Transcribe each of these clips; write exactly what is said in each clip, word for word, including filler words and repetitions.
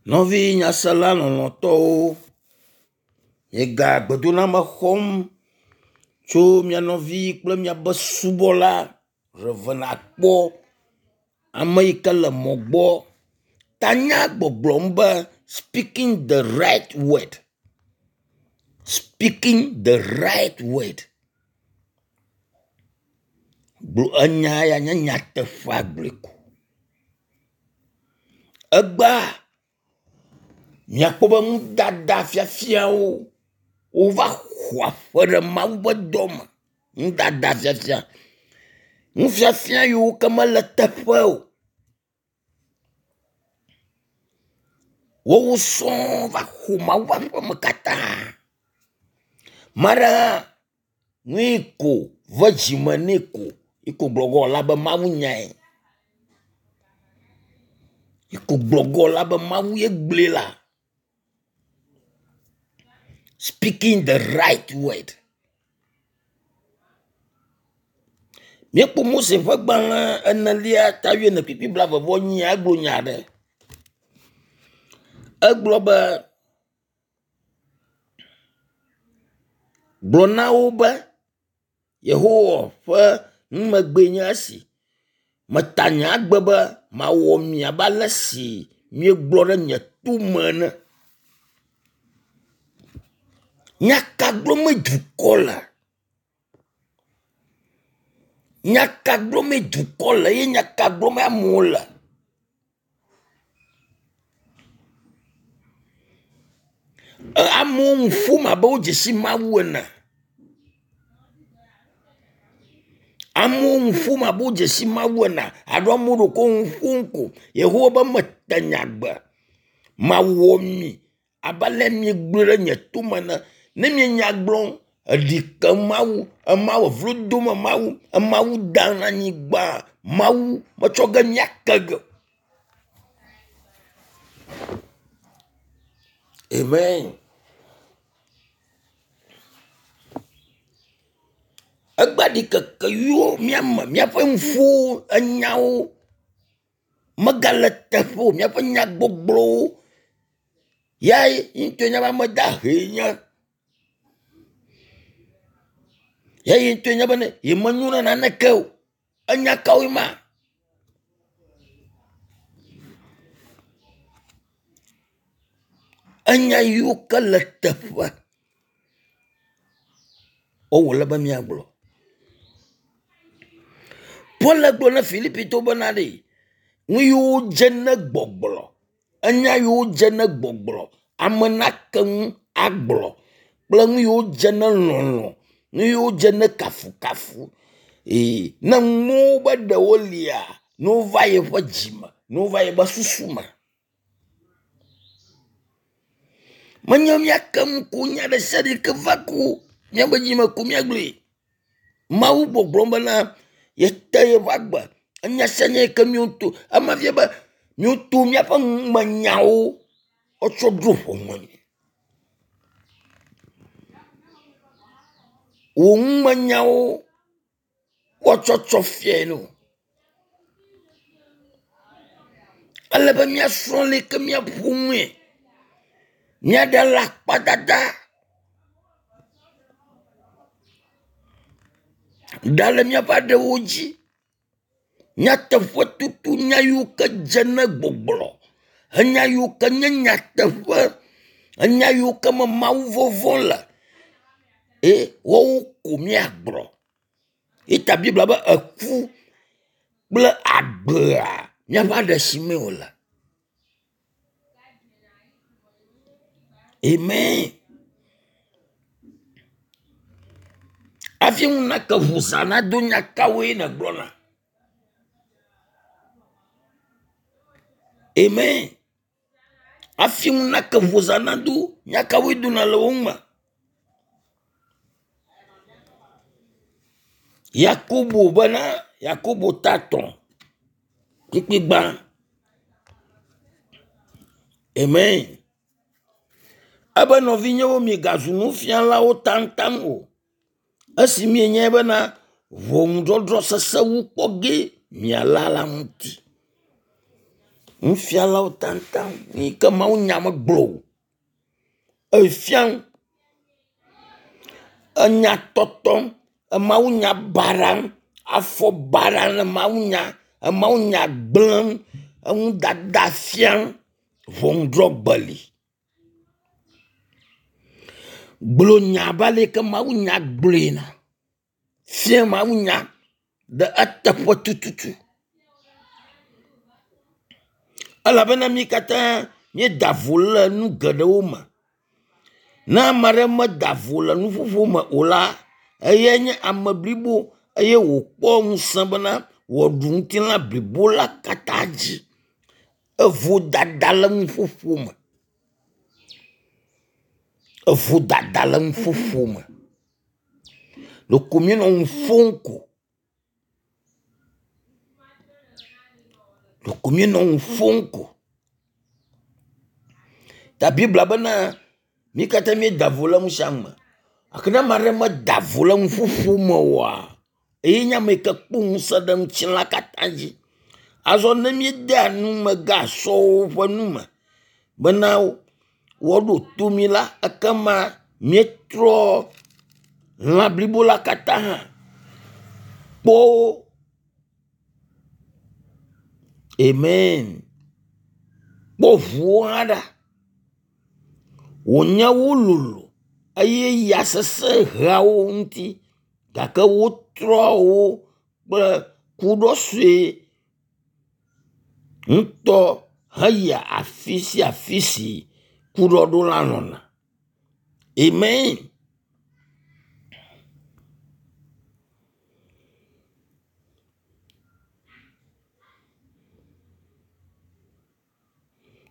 Nɔvi nyasela lɔlɔ̃tɔwo, miega gbedoname xɔm tso mia nɔvi kple miabe subɔla Rev. Akpɔ, ame yi ke le mɔ gbɔ. Tanya gbɔgblɔm be “Speaking the right word, speaking the right word” Gblɔ enya ya nye nyateƒea gblɔe ko. Egbea miakpɔ be nudada fiafiawo wova xɔ aƒe ɖe Mawu ƒe dɔ me. Nudada fiafia. Nufiafia yiwo ke mele eteƒe o. Woawo sɔŋ va xɔ Mawu ƒe aƒeme katã. Ame aɖe hã nu yi ko ve dzime nɛ ko yi ko gblɔ ge wòala be Mawu nyae. Yi ko gblɔ ge wòala be Mawu ye gblɔe la. Speaking the right word. Míekpɔ Mose ƒe gbalẽ enelia ta wuiene kpukpui blaeve vɔ enyia egblɔ nya aɖe. Egblɔ be gblɔ na wo be Yehowa ƒe numegbee nye esi. Meta nye agbe be mawɔ mi abe ale si miegblɔ ɖe nye tome ene. Nya ka gblɔmee dukɔ le? Nya ka gblɔmee dukɔ le eye nya ka gblɔmee amewo le? Amewo nu ƒom abe wodze si Mawu ene. Amewo nu ƒom abe wodze si Mawu ene alo amewo ɖeko nu ƒom ko. Yehowa be mete nye agbe. Mawɔ mi abe ale miegblɔe ɖe nye tome ene. Ne mienya gblɔm, eɖi ke Mawu, ema wɔ vlo dom Mawu, Mawu dam ɖe anyigba. Mawu metsɔ ge míake ge o. Amen. Egbea ɖikeke yiwo míame, míaƒe nuƒowo, enyawo megale teƒe o. Míaƒe nyagbɔgblɔwo ya ŋutɔe nye be ame dahee nye. Ya ye ŋutɔe nye be yemenyo na naneke o. Enya kawoe ma? Enya yiwo ke le teƒe wowòle be míagblɔ. Paul gblɔ na Filipitɔwo bena ɖe nu yiwo dze ne gbɔgblɔ, enya yiwo dze ne gbɔgblɔ, ame nake nu agblɔ kple nu yiwo dze ne lɔlɔ̃, nu yiwo dze ne kafukafu. Ee, ne nuwo be ɖewo lia, ne wova yeƒe dzime, ne wova yeƒe susu me. Menye míake nu ko nya ɖe sia ɖe ke va ko míaƒe dzime ko míagblɔe. Mawu gbɔgblɔm bena yete yeƒe agbe. Enya sia nya yi ke míeto, ema fia be míeto míaƒe numenyawo wotsɔ ɖo ʋɔnue. Wò numenyawo woatsɔ tsɔ fiae no. Ele be míasrɔ̃ leke míaƒo nue. Míaɖe alakpadada ɖa le míaƒe aɖewo dzi. Nyateƒetoto nya yiwo ke dze ne gbɔgblɔ, enya yiwo ke nye nyateƒe, enya yiwo ke me Mawu vɔvɔ̃ le eye woawo ko míagblɔ. Eyi ta Biblia be eku kple agbea míaƒe aɖe si mee wòle. Amen. Hafi ŋu nake ʋu zã nado nya kawoe nègblɔna? Amen. Hafi ŋu nake ʋu zã nado nya kawoe dona le wo me? Yakobo bena Yakobo ta etɔ̃ kpukpui gbã. Amen. Ebe nɔvinyewo migazu nufialawo taŋtaŋ o. Esi mienyae bena ʋɔnudɔdrɔ̃ sesẽ wu kpɔ ge miala la ŋuti. Nufialawo taŋtaŋ yi ke mawunya megblɔ o. Efiam enya tɔtɔm, emawunya baɖam, afɔ baɖam le mawunya, emawunya gblẽm, eŋudada fiam, ʋɔnudrɔ̃gbe li. Gblɔ nya abe ale yi ke mawunya gblɔe na. Fia mawunya ɖe eteƒe tututu. Elabena mí katã míeda vo le nu geɖewo me. Ne ame aɖe meda vo le nuƒoƒo me o la, eyae nye ame blibo eye wòkpɔ ŋusẽ bena wòaɖu ŋutilã blibo la katã dzi. Evodada le nuƒoƒo me. Evodada le nuƒoƒo me. Ɖeko míenɔ nu ƒom ko. Ɖeko míenɔ nu ƒom ko. Ta Biblia bena mí katã míeda vo le nu sia nu me. Gake ne ame aɖe meda vo le nuƒoƒo me oa, eye nye ame yi ke kpɔ ŋusẽ ɖe ŋutilã katã dzi. Azɔ ne míedea numegasɔwo ƒe nu me bena woaɖo to mí la, ekema míetrɔ lã blibo la katã hã kpɔ amen. Kpɔ ʋuwo hã ɖa. Wònye wo lolo eye ya sesẽ hea wo ŋuti gake wotrɔ wo kple kuɖɔ sue ŋutɔ heyia afi sia afi si kuɖɔɖola lɔ̃na. Amen.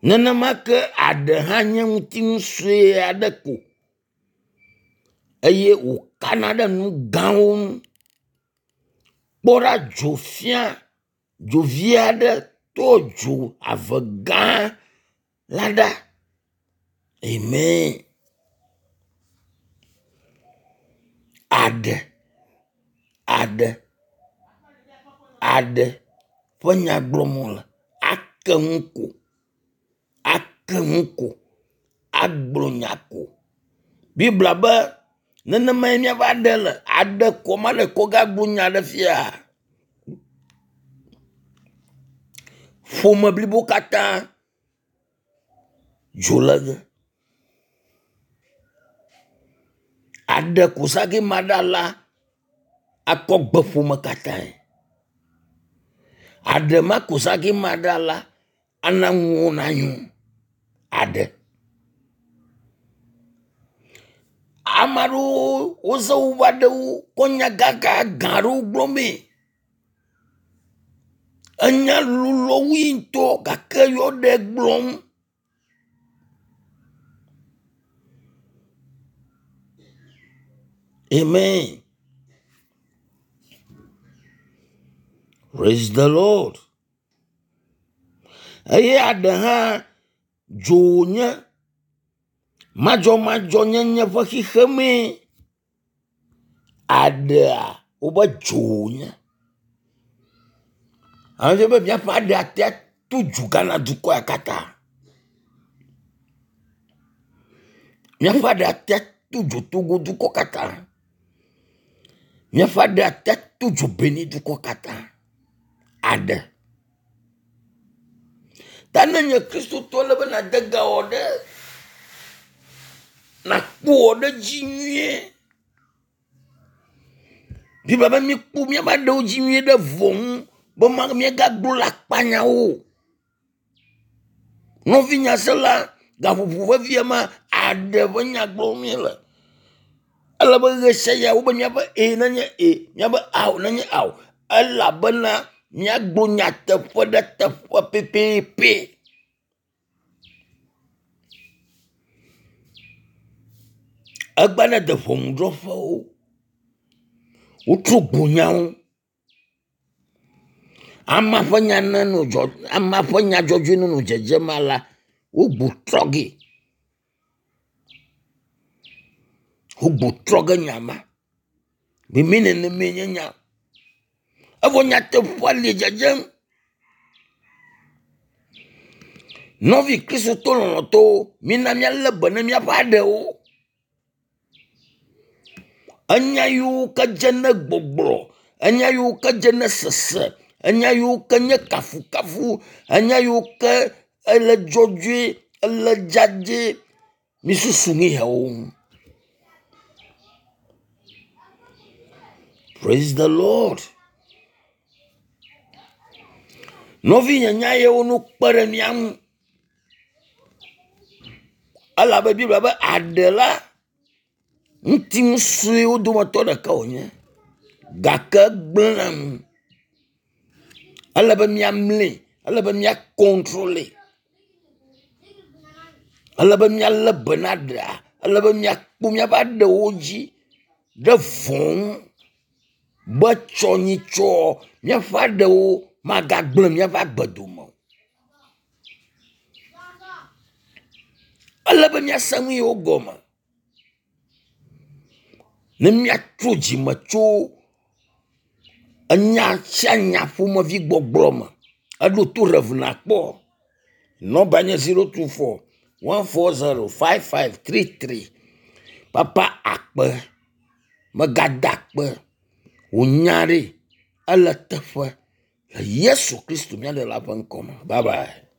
Nenema ke aɖe hã nye ŋutinu sue aɖe ko eye wòkana ɖe nu gãwo ŋu. Kpɔ ɖa dzo fia dzo vi aɖe to dzo ave gã la ɖa. Amen. Aɖe aɖe aɖe ƒe nya gblɔm wole. Ake nu ko ake nu ko agblɔ nya ko. Biblia be nenemae míaƒe aɖe le. Aɖe ko ame aɖe kɔ gagblɔ nya ɖe fia. Ƒome blibo katã dzo le ge. Aɖe ko zã ge ma ɖa la akɔ gbe ƒome katãe. Aɖe ma ko zã ge ma ɖa la ana nuwo nanyo. Aɖe. Ame aɖewo wozã woƒe aɖewo kɔ nya gãgãgã aɖewo gblɔmee. Enya lolo wui ŋutɔ gake yewo ɖe gblɔm. Amen. Praise the Lord. Eye aɖe hã dzo wònye madzɔmadzɔnyenye ƒe xexemee. Aɖea wobe dzo wònye. Ame be míaƒe aɖe atea to dzo Ghana dukɔ ya katã. Míaƒe aɖe atea to dzo Togo dukɔ katã. Míaƒe aɖe atea to dzo Benin dukɔ katã. Aɖe. Ta ne nye kristotɔ le be nàde ga wɔ ɖe nàkpɔ wɔ ɖe dzi nyuie. Biblia be míkpɔ míaƒe aɖewo dzi nyuie ɖe vɔ ŋu be ma míagagblɔ le akpanyawo o. Nɔvinyasela gaƒoƒo vevia ma aɖe ƒe nya gblɔm míele. Ele be ɣe sia ɣi wobe míaƒe e nenye e, míaƒe ao nenye ao elabena míagblɔ nyateƒe ɖe teƒe pɛpɛpɛ. Egbe ne de ʋɔnudrɔ̃ƒewo, wotro gbo nyawo. Amea ƒe nya nenɔ dzɔ amea ƒe nya dzɔdzɔe nenɔ dzedzem alea, wogbo trɔ gee. Wogbo trɔ ge nya ma. Mimi nenemae nye nya. Evɔ nyateƒea le dzedzem. Nɔvi Kristotɔ lɔlɔ̃tɔwo, mina míalé be ne míaƒe aɖewo. Enya yiwo ke dze ne gbɔgblɔ, enya yiwo ke dze ne sese, enya yiwo ke nye kafukafu, enya yiwo ke ele dzɔdzɔe, ele dzadzɛ, misusu nu yawo ŋu. Praise the Lord. Nɔvinye nya yewo no kpe ɖe mía ŋu. Elabe Biblia be aɖe la ŋutinu suewo dometɔ ɖeka wònye gake egblẽa nu. Ele be míamli, ele be mía kɔntrole, ele be míalé be na ɖea, ele be míakpɔ míaƒe aɖewo dzi ɖe vɔ̃ ŋu be tsɔ nyitsɔ míaƒe aɖewo magagblẽ míaƒe agbe dome o. Ele be míase nu yewo gɔme ne míatrɔ dzime tso enya sia nya ƒomevi gbɔgblɔ me. Eɖo to Rev nakpɔ. Nɔmba nye zero two four one four zero five five three three. Papa akpe, megada akpe. Wò nya ɖe ele teƒe le Yesu Kristo mía ɖela ƒe ŋkɔ me. Bye bye.